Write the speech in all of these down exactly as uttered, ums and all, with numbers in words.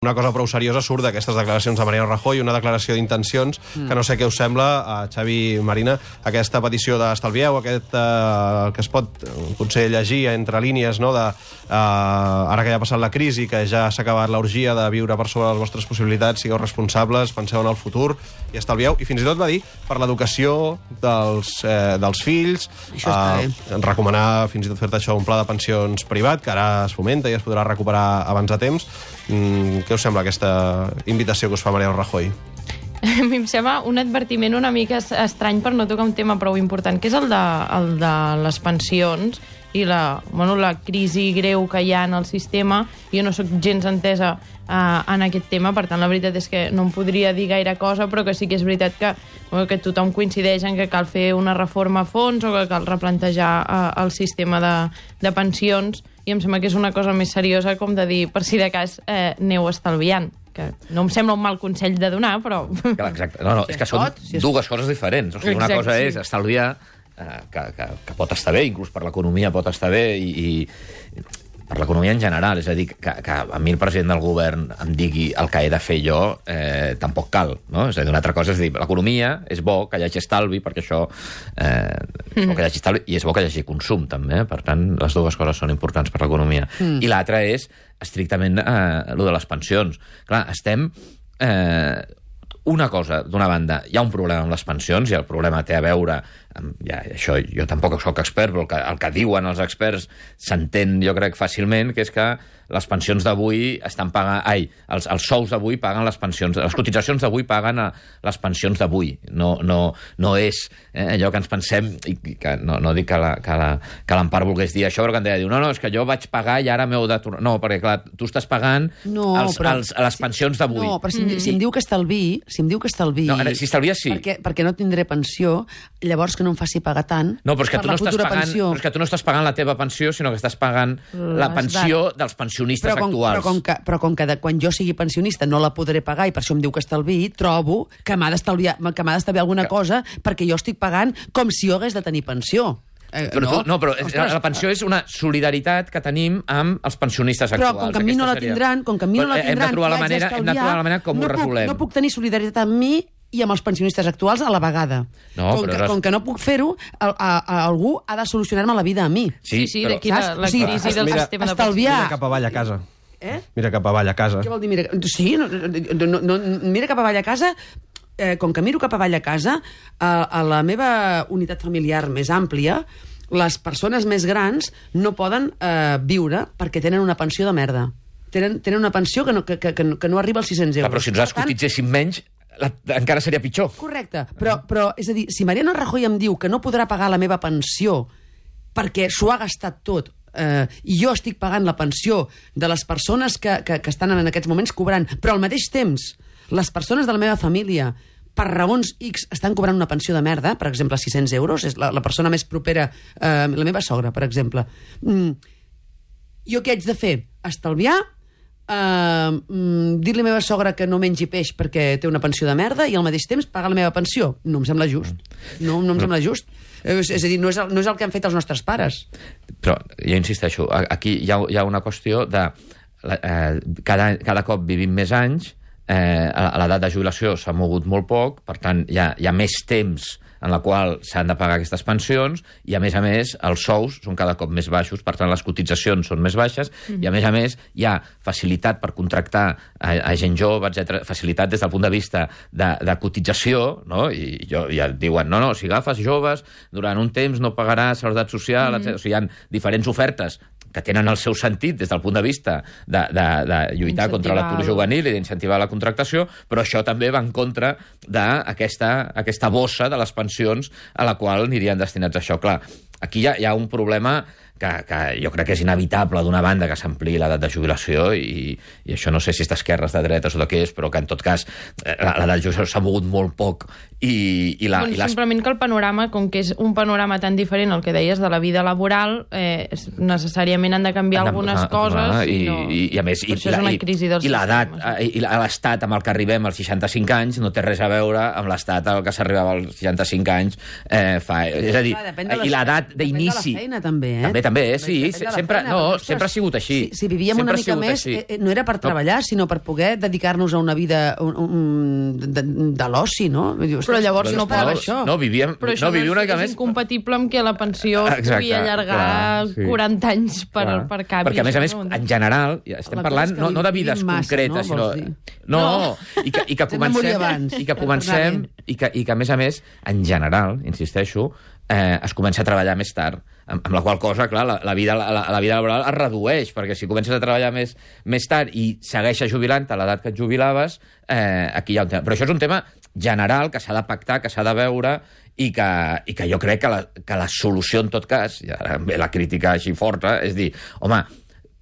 Una cosa prou seriosa surt d'aquestes declaracions de Mariano Rajoy, una declaració d'intencions, mm. que no sé què us sembla, a Xavi Marina, aquesta petició d'estalvieu, aquest eh, que es pot potser llegir entre línies, no?, de, eh, ara que ja ha passat la crisi, que ja s'ha acabat l'orgia de viure per sobre les vostres possibilitats, sigueu responsables, penseu en el futur i estalvieu, i fins i tot va dir per l'educació dels, eh, dels fills, eh, recomanar fins i tot fer-te això un pla de pensions privat, que ara es fomenta i es podrà recuperar abans de temps. Mm, què us sembla aquesta invitació que us fa Mariano Rajoy? A mi em sembla un advertiment una mica estrany per no tocar un tema prou important, que és el de, el de les pensions i la, bueno, la crisi greu que hi ha en el sistema. Jo no sóc gens entesa uh, en aquest tema, per tant la veritat és que no em podria dir gaire cosa, però que sí que és veritat que, bueno, que tothom coincideix en que cal fer una reforma a fons o que cal replantejar uh, el sistema de, de pensions, i em sembla que és una cosa més seriosa, com de dir, per si de cas eh, aneu estalviant, que no em sembla un mal consell de donar, però... Clar, exacte. No, no, és que són dues coses diferents. O sigui, una cosa és estalviar, eh, que, que, que pot estar bé, inclús per l'economia pot estar bé, i, i per l'economia en general, és a dir, que, que a mi el president del govern em digui el que he de fer jo, eh, tampoc cal, no? És a dir, una altra cosa és dir, l'economia és bo que hi hagi estalvi, perquè això eh, és bo que hi hagi estalvi, i és bo que hi hagi consum, també, per tant, les dues coses són importants per l'economia. Mm. I l'altra és, estrictament, eh, lo de les pensions. Clar, estem... Eh, una cosa, d'una banda, hi ha un problema amb les pensions, i el problema té a veure amb, ja, això jo tampoc sóc expert, però el que, el que diuen els experts s'entén, jo crec, fàcilment, que és que les pensions d'avui estan pagant... Ai, els, els sous d'avui paguen les pensions... Les cotitzacions d'avui paguen a les pensions d'avui. No, no, no és eh, allò que ens pensem... I que no, no dic que l'Empar volgués dir això, però que em deia, diu, no, no, és que jo vaig pagar i ara m'heu de tornar... No, perquè, clar, tu estàs pagant no, els, però, els, les pensions d'avui. No, però si, mm. si em diu que estalvi... Si em diu que estalvi... No, si estalvies, sí. Perquè, perquè no tindré pensió, llavors que no em faci pagar tant no, però és que per tu no la futura pagant, pensió. Però és que tu no estàs pagant la teva pensió, sinó que estàs pagant Les la pensió dat. dels pensionistes però com, actuals. Però com, que, però com que de, quan jo sigui pensionista no la podré pagar i per això em diu que estalviï, trobo que m'ha d'estalviar que m'ha d'estalviar alguna que... cosa perquè jo estic pagant com si jo hagués de tenir pensió. Eh, però no, tu, no, però Ostres, la pensió és una solidaritat que tenim amb els pensionistes actuals. Però com que a mi no la tindran, com que a mi no la tindran, hem de trobar la manera, hem de trobar la manera com no ho resolem. Puc, no puc tenir solidaritat amb mi i amb els pensionistes actuals a la vegada. No, com, però que, és... com que no puc fer-ho, a, a, a algú ha de solucionar-me la vida a mi. Sí, sí, però... d'aquí la, la o sigui, crisi del mira, sistema de estalviar... Mira cap avall a casa. Eh? Mira cap avall a casa. Què vol dir? Mira... Sí, no, no, no, mira cap avall a casa... Eh, com que miro cap avall a casa, a, a la meva unitat familiar més àmplia, les persones més grans no poden eh, viure perquè tenen una pensió de merda. Tenen, tenen una pensió que no, que, que, que no arriba als sis-cents euros. Clar, però si nosaltres cotitzéssim menys, la, encara seria pitjor. Correcte, però, però és a dir, si Mariano Rajoy em diu que no podrà pagar la meva pensió perquè s'ho ha gastat tot, eh, i jo estic pagant la pensió de les persones que, que, que estan en aquests moments cobrant, però al mateix temps les persones de la meva família per raons X estan cobrant una pensió de merda, per exemple, sis-cents euros, és la, la persona més propera, eh, la meva sogra, per exemple. Mm, jo què haig de fer? Estalviar, eh, mm, dir-li a la meva sogra que no mengi peix perquè té una pensió de merda i al mateix temps pagar la meva pensió. No em sembla just. No, no em sembla just. És, és a dir, no és, el, no és el que han fet els nostres pares. Però, jo insisteixo, aquí hi ha, hi ha una qüestió de... Eh, cada, cada cop vivim més anys, eh, l'edat de jubilació s'ha mogut molt poc, per tant, hi ha, hi ha més temps en la qual s'han de pagar aquestes pensions, i a més a més els sous són cada cop més baixos, per tant les cotitzacions són més baixes, mm-hmm. i a més a més hi ha facilitat per contractar a, a gent jove, etcètera, facilitat des del punt de vista de, de cotització, no? I jo, ja diuen, no, no, si agafes joves, durant un temps no pagaràs seguretat social, mm-hmm. etcètera. O sigui, hi ha diferents ofertes que tenen el seu sentit des del punt de vista de, de, de lluitar incentivar contra l'atur juvenil i d'incentivar la contractació, però això també va en contra d'aquesta aquesta bossa de les pensions a la qual anirien destinats a això. Clar, aquí hi ha, hi ha un problema que, que jo crec que és inevitable, d'una banda, que s'ampliï l'edat de jubilació, i, i això no sé si és d'esquerres, de dretes o de què és, però que en tot cas l'edat de jubilació s'ha mogut molt poc, i, i la... Doncs i les... simplement que el panorama, com que és un panorama tan diferent al que deies de la vida laboral, eh, necessàriament han de canviar de, algunes ah, coses, ah, i, no... i, i a més, i, això és una crisi dels i l'edat, sistemes. i l'estat amb el que arribem als seixanta-cinc anys no té res a veure amb l'estat al que s'arribava als seixanta-cinc anys, eh, fa... És a dir, Clar, de i l'edat d'inici... Depèn de la feina, també, eh? També, també, sí, sempre, no, sempre ha sigut així. Si, si vivíem una mica més, eh, no era per treballar, no. sinó per poder dedicar-nos a una vida un, un, de, de l'oci, no? Però llavors no per això. No, vivíem, però no, vivíem una mica més... és incompatible amb que la pensió es pugui allargar clar, sí. quaranta anys per, per canvi. Perquè, a més a més, en general, estem parlant no, no de vides concretes, no, sinó... No, no, i que, i que comencem... I que comencem... I que, I que, a més a més, en general, insisteixo, eh, es comença a treballar més tard, amb, amb la qual cosa, clar, la, la, vida, la, la vida laboral es redueix, perquè si comences a treballar més, més tard i segueixes jubilant a l'edat que et jubilaves, eh, aquí hi ha un tema. Però això és un tema general que s'ha de pactar, que s'ha de veure, i que, i que jo crec que la, que la solució, en tot cas, i ara ve la crítica així forta, és dir, home,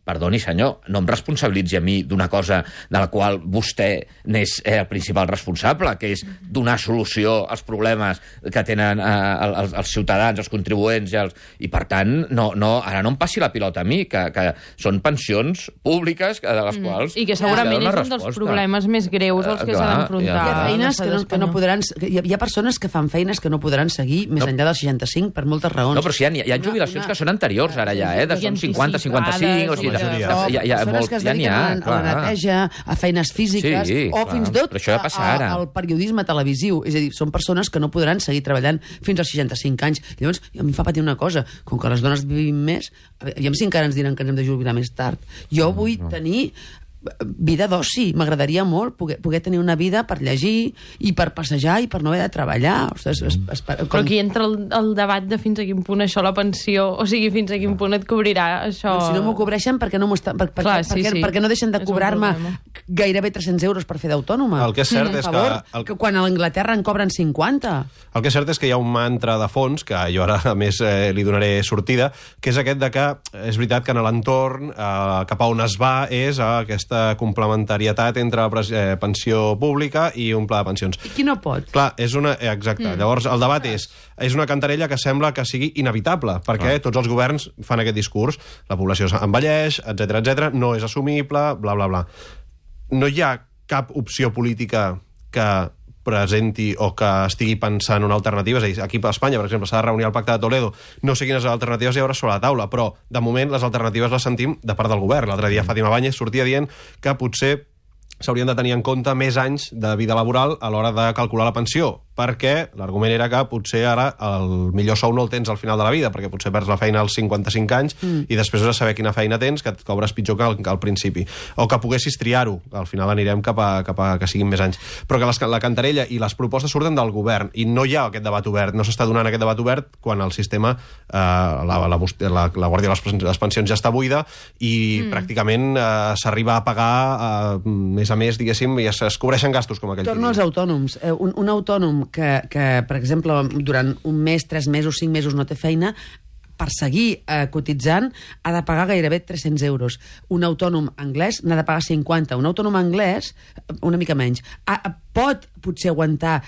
perdoni, senyor, no em responsabilitzi a mi d'una cosa de la qual vostè n'és el principal responsable, que és donar solució als problemes que tenen eh, els, els ciutadans, els contribuents, i, els... i per tant, no, no, ara no em passi la pilota a mi, que, que són pensions públiques de les quals... Mm. I que segurament és un dels problemes més greus als que s'ha d'enfrontar. Hi ha feines que no, que no podran... Hi ha, hi ha persones que fan feines que no podran seguir més no. enllà dels seixanta-cinc per moltes raons. No, però sí, hi ha, hi ha jubilacions una, una... que són anteriors ara ja, eh? De són cinquanta, cinquanta-cinc, o sigui... Hi ha, hi ha molt, que es dediquen ja ha, a la neteja, a feines físiques, sí, o clar. fins i tot ja a, a, al periodisme televisiu. És a dir, són persones que no podran seguir treballant fins als seixanta-cinc anys. Llavors, a mi em fa patir una cosa, com que les dones vivim més, aviam si encara ens diran que ens hem de jubilar més tard. Jo vull no. tenir vida d'oci, m'agradaria molt poder, poder tenir una vida per llegir i per passejar i per no haver de treballar. Ostres, es, es, com... Però aquí entra el, el debat de fins a quin punt això, la pensió, o sigui, fins a quin punt et cobrirà això... Doncs si no m'ho cobreixen, per què no, per, per, Clar, sí, perquè, sí. perquè no deixen de cobrar-me gairebé tres-cents euros per fer d'autònoma? El que és cert mm, és favor, que... El... que quan a l'Anglaterra en cobren cinquanta. El que és cert és que hi ha un mantra de fons, que jo ara, a més, eh, li donaré sortida, que és aquest de que és veritat que en l'entorn eh, cap a on es va és a aquesta complementarietat entre la eh, pensió pública i un pla de pensions. I qui no pot? Clar, és una... Exacte. Mm. Llavors, el debat és, és una cantarella que sembla que sigui inevitable, perquè ah. tots els governs fan aquest discurs. La població envelleix, etcètera, etcètera, no és assumible, bla, bla, bla. No hi ha cap opció política que presenti o que estigui pensant en alternatives. És a dir, aquí a Espanya, per exemple, s'ha de reunir el Pacte de Toledo. No sé quines alternatives hi haurà sobre la taula, però, de moment, les alternatives les sentim de part del govern. L'altre dia Fàtima Báñez sortia dient que potser s'haurien de tenir en compte més anys de vida laboral a l'hora de calcular la pensió, perquè l'argument era que potser ara el millor sou no el tens al final de la vida, perquè potser perds la feina als cinquanta-cinc anys mm. i després has de saber quina feina tens, que et cobres pitjor que al, que al principi. O que poguessis triar-ho, al final anirem cap a, cap a que siguin més anys. Però que les, la cantarella i les propostes surten del govern, i no hi ha aquest debat obert, no s'està donant aquest debat obert quan el sistema, eh, la, la, la, la Guàrdia de les Pensions ja està buida i mm. pràcticament eh, s'arriba a pagar eh, més a més, diguéssim, i es, es cobreixen gastos com aquell. Torno als autònoms. Eh, un, un autònom que, que, per exemple, durant un mes, tres mesos, cinc mesos no té feina, per seguir eh, cotitzant ha de pagar gairebé tres-cents euros. Un autònom anglès n'ha de pagar cinquanta. Un autònom anglès, una mica menys, ha, pot potser aguantar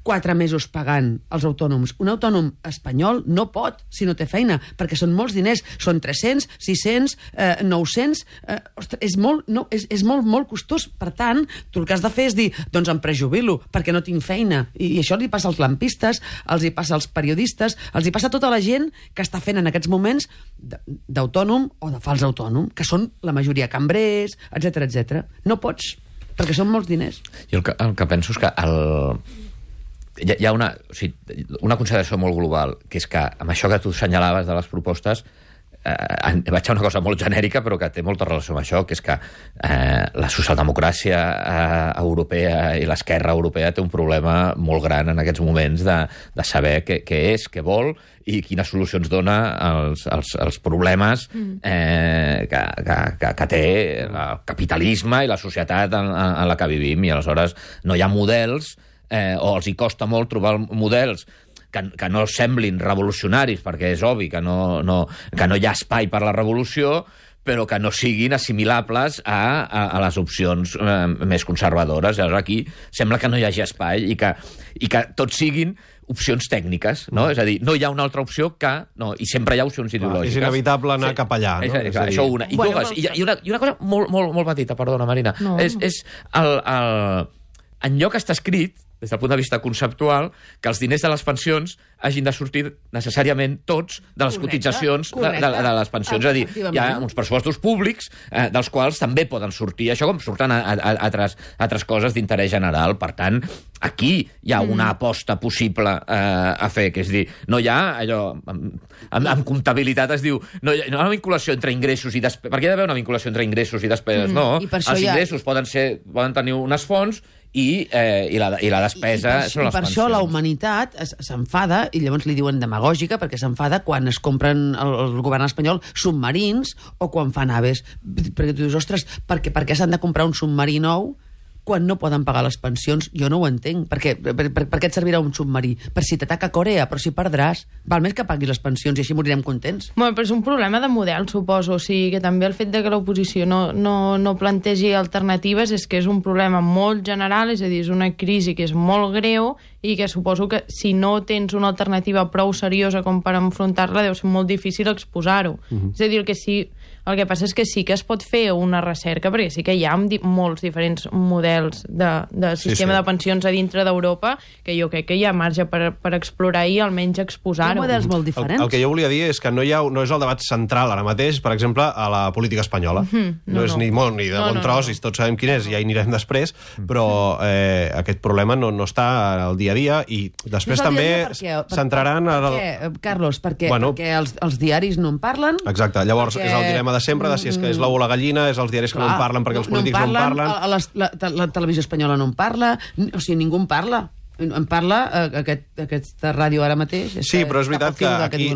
quatre mesos pagant els autònoms. Un autònom espanyol no pot si no té feina, perquè són molts diners. Són tres-cents, sis-cents, eh, nou-cents... Eh, ostres, és molt, no, és, és molt, molt costós. Per tant, tu el que has de fer és dir, doncs em prejubilo, perquè no tinc feina. I, i això li passa als lampistes, els hi passa als periodistes, els hi passa a tota la gent que està fent en aquests moments d'autònom o de fals autònom, que són la majoria cambrers, etcètera, etcètera. No pots, perquè són molts diners. Jo el que, el que penso és que el... hi ha una, o sigui, una consideració molt global, que és que amb això que tu assenyalaves de les propostes eh, vaig a una cosa molt genèrica però que té molta relació amb això, que és que eh, la socialdemocràcia eh, europea i l'esquerra europea té un problema molt gran en aquests moments de, de saber què, què és, què vol i quines solucions dona als, als, als problemes eh, que, que, que, que té el capitalisme i la societat en, en la que vivim, i aleshores no hi ha models Eh, o els hi costa molt trobar models que, que no semblin revolucionaris, perquè és obvi que no, no, que no hi ha espai per la revolució, però que no siguin assimilables a, a, a les opcions eh, més conservadores. Llavors aquí sembla que no hi hagi espai i que, i que tots siguin opcions tècniques, no? Mm. És a dir, no hi ha una altra opció que... No, i sempre hi ha opcions ideològiques. És inevitable anar sí. cap allà, no? És, és, és això una. I, bueno, dues, i, i, una, I una cosa molt, molt, molt petita, perdona, Marina, no. és, és el, el, en lloc que està escrit des del punt de vista conceptual, que els diners de les pensions hagin de sortir necessàriament tots de les correcte, cotitzacions correcte. De, de, de les pensions. És a dir, hi ha uns pressupostos públics eh, dels quals també poden sortir, això com surten a, a, a altres, altres coses d'interès general. Per tant, aquí hi ha una aposta possible eh, a fer, que és dir, no hi ha allò... En, en, en comptabilitat es diu, no hi ha, no hi ha una vinculació entre ingressos i despeses. Per què hi ha d'haver una vinculació entre ingressos i despeses? Mm, no, i els ingressos ha... poden, ser, poden tenir unes fonts i, eh, i, la, i la despesa I, i per, són les i per pensions. això la humanitat s'enfada, i llavors li diuen demagògica, perquè s'enfada quan es compren el, el govern espanyol submarins o quan fan naves. Perquè tu dius, ostres, per què, per què s'han de comprar un submarí nou quan no poden pagar les pensions? Jo no ho entenc. Per què, per, per, per què et servirà un submarí? Per si t'ataca Corea, però si perdràs. Val més que paguis les pensions i així morirem contents. Bueno, però és un problema de model, suposo. O sigui, que també el fet de que l'oposició no, no, no plantegi alternatives és que és un problema molt general, és a dir, és una crisi que és molt greu i que suposo que si no tens una alternativa prou seriosa com per enfrontar-la deu ser molt difícil exposar-ho. Uh-huh. És a dir, el que sí... El que passa és que sí que es pot fer una recerca, perquè sí que hi ha di molts diferents models de, de sistema sí, sí. de pensions a dintre d'Europa, que jo crec que hi ha marge per, per explorar i almenys exposar-ho. Hi ha models molt diferents. El, el que jo volia dir és que no, hi ha, no és el debat central ara mateix, per exemple, a la política espanyola. Mm-hmm. No, no és no. ni molt ni de no, bon no, tros, no. i tots sabem quin és, ja hi anirem després, però eh, aquest problema no, no està al dia a dia, i després no també centraran... Per, per, per, per què, Carlos? Perquè, bueno, perquè els, els diaris no en parlen? Exacte, llavors perquè... és el dilema de sempre, de si és que és l'ou o la gallina, és els diaris que Clar, no en parlen perquè els polítics no en parlen. No en parlen. A les, la, la televisió espanyola no en parla, o sigui, ningú en parla. En parla eh, aquest, aquesta ràdio ara mateix. Sí, però és veritat que aquí...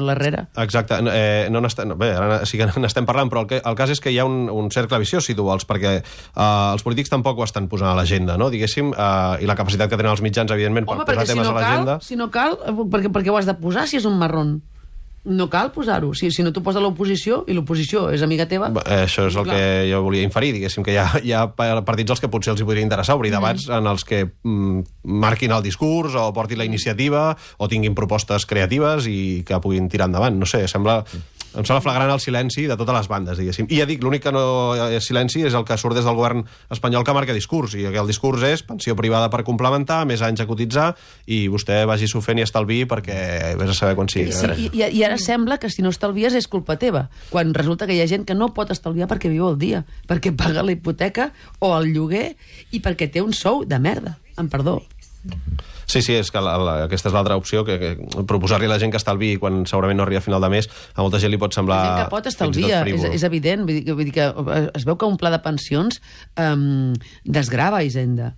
Exacte, eh, no no, bé, ara sí que n'estem parlant, però el, que, el cas és que hi ha un, un cercle viciós, si tu vols, perquè eh, els polítics tampoc ho estan posant a l'agenda, no? Diguéssim, eh, i la capacitat que tenen els mitjans, evidentment, per Home, posar temes si no a l'agenda... Si no cal, perquè, perquè ho has de posar si és un marrón. No cal posar-ho. Si, si no t'ho posa l'oposició, i l'oposició és amiga teva... Bé, això és el clar. que jo volia inferir, diguéssim, que hi ha, hi ha partits als que potser els hi podria interessar obrir debats mm. en els que mm, marquin el discurs o portin la iniciativa o tinguin propostes creatives i que puguin tirar endavant. No sé, sembla... Em sembla flagrant el silenci de totes les bandes, diguéssim. I ja dic, l'únic que no és silenci és el que surt des del govern espanyol que marca discurs, i el discurs és pensió privada per complementar, més anys a cotitzar, i vostè vagi-s'ho fent i estalviï perquè vés a saber quan sigui. Sí, i, i ara sembla que si no estalvies és culpa teva, quan resulta que hi ha gent que no pot estalviar perquè viu el dia, perquè paga la hipoteca o el lloguer i perquè té un sou de merda, amb perdó. Sí, sí, és que la, la, aquesta és l'altra opció, que, que proposar-li a la gent que estalviï quan segurament no arriba a final de mes, a molta gent li pot semblar... La gent que pot estalvia, és, és evident. Vull dir, vull dir que es veu que un pla de pensions um, desgrava Hisenda.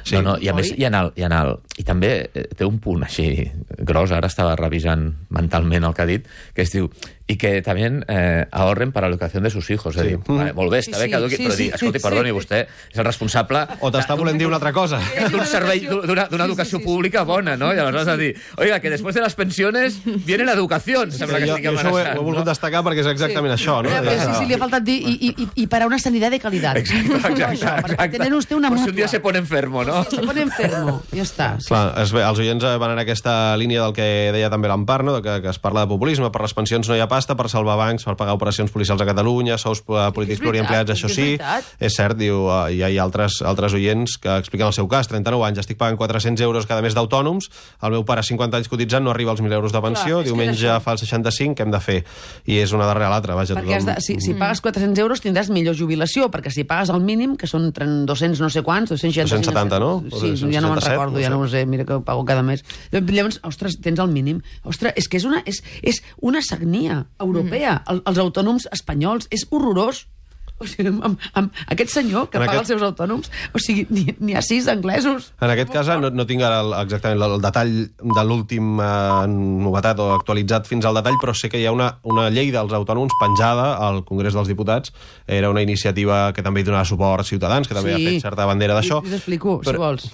Sí. No, no, i a Oi? més hi ha, el, hi ha el... I també té un punt així gros, ara estava revisant mentalment el que ha dit, que es diu, i que també eh, ahorren per a l'educació de sus hijos. Sí. És dir, vale, molt bé, està sí, bé que eduqui, sí, però dir, escolti, sí, perdoni, sí. vostè és el responsable... O t'està volent dir una altra cosa. D'un servei, d'una educació sí, sí, sí. pública bona, no? I aleshores a dir, oiga, que després de les pensions viene la educació. Sí, sembla que jo, jo això ho he, ho he volgut no? destacar perquè és exactament sí. això, no? Sí, sí, sí, li ha faltat dir, i, i, i para una sanitat de qualitat. Exacte, exacte. exacte. Tener usted una mutua. Pues si un dia se pone enfermo, no? Se pone enfermo, ja està. Sí. Clar, es, els oients van en aquesta línia del que deia també l'Empar, no? que, que es parla de populisme, per les pensions no hi ha pasta, per salvar bancs, per pagar operacions policials a Catalunya, sous polítics pluriempleats, això sí, és cert, diu, hi ha, hi ha altres, altres oients que expliquen el seu cas, trenta-nou anys, estic pagant quatre-cents euros cada mes d'autònoms, el meu pare cinquanta anys cotitzant no arriba als mil euros de pensió, clar, diumenge fa el seixanta-cinc, què hem de fer? I és una darrere l'altra, vaja. Perquè tothom... de, si, si pagues quatre-cents euros tindràs millor jubilació, perquè si pagues el mínim, que són dos-cents no sé quants, dos-cents setanta, no? Sí, ja no me'n recordo, ja no ho sé, mira que ho pago cada mes. Llavors, ostres, tens el mínim. Ostres, és que és una, és, és una sagnia europea. Mm. El, els autònoms espanyols, és horrorós. O sigui, amb, amb aquest senyor que en paga aquest... els seus autònoms, o sigui, n'hi ha sis anglesos. En aquest cas, no, no tinc ara el, exactament el, el detall de l'últim eh, novetat o actualitzat fins al detall, però sé que hi ha una, una llei dels autònoms penjada al Congrés dels Diputats. Era una iniciativa que també hi donava suport Ciutadans, que també sí. ha fet certa bandera d'això. Sí, t'explico, però... si vols.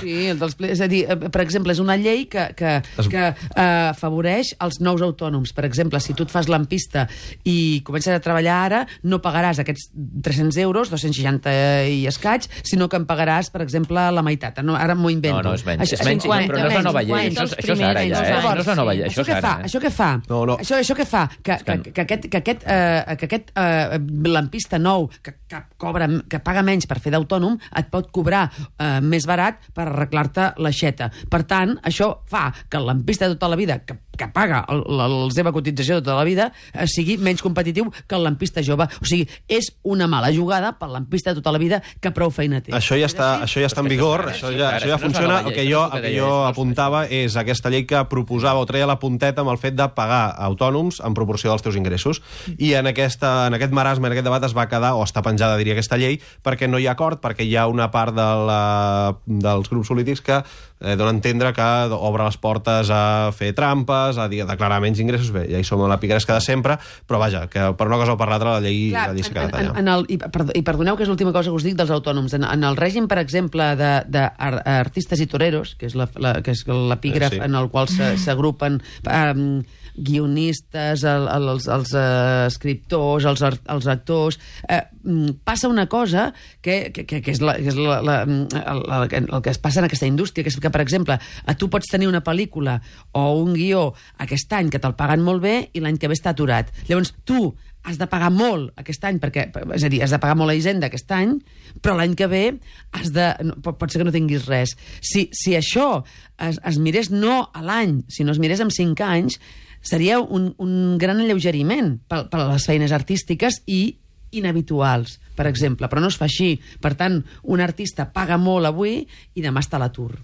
Sí, el dels... És a dir, per exemple, és una llei que, que, es... que eh, afavoreix els nous autònoms. Per exemple, si tu et fas lampista i comences a treballar ara, no pagaràs aquest aquests tres-cents euros, dos-cents seixanta i escaig, sinó que em pagaràs, per exemple, la meitat. No, ara m'ho invento. No, no, és menys. Això, És menys, cinquanta, però no és la nova llei. cinquanta, Això, això és ara, ja, eh? No és la nova llei. Això, Això què és fa? ara, eh? Això què fa? No, no. Això, això què fa? Que, que, que- que aquest, que aquest, eh, que aquest eh, lampista nou que, que, cobra, que paga menys per fer d'autònom et pot cobrar eh, més barat per arreglar-te l'aixeta. Per tant, això fa que el lampista de tota la vida, que, que paga el, la, la seva cotització de tota la vida, eh, sigui menys competitiu que el lampista jove. O sigui, és una mala jugada pel lampista de tota la vida que prou feina té. Això ja està, això ja està en vigor, això ja, això ja funciona. El que jo, el que jo apuntava és aquesta llei que proposava o treia la punteta amb el fet de pagar autònoms en proporció dels teus ingressos. I en, aquesta, en aquest marasme, en aquest debat, es va quedar, o està penjada, diria, aquesta llei, perquè no hi ha acord, perquè hi ha una part de la, dels grups polítics que eh, dona a entendre que obre les portes a fer trampes, a, dir, a declarar menys ingressos. Bé, ja hi som a la picaresca de sempre, però vaja, que per una cosa o per l'altra la llei, Clar, la llei s'ha quedat en, allà. en el, i, perdó, I perdoneu que és l'última cosa que us dic dels autònoms. En, en el règim, per exemple, d'artistes i toreros, que és la, la, que és l'epígraf Sí. en el qual s'agrupen um, guionistes, el, el, els, els uh, escriptors, els, art- els actors... Eh, mm, passa una cosa que, que, que, que és, la, que és la, la, el, el, el que es passa en aquesta indústria, que és que, per exemple, a tu pots tenir una pel·lícula o un guió aquest any que te'l paguen molt bé i l'any que ve està aturat. Llavors, tu has de pagar molt aquest any, perquè, és a dir, has de pagar molt a Hisenda aquest any, però l'any que ve has de, no, pot, pot ser que no tinguis res. Si, si això es, es mirés no a l'any, sinó es mirés en cinc anys, seria un, un gran alleugeriment per, per a les feines artístiques i inhabituals, per exemple, però no es fa així. Per tant, un artista paga molt avui i demà està a l'atur.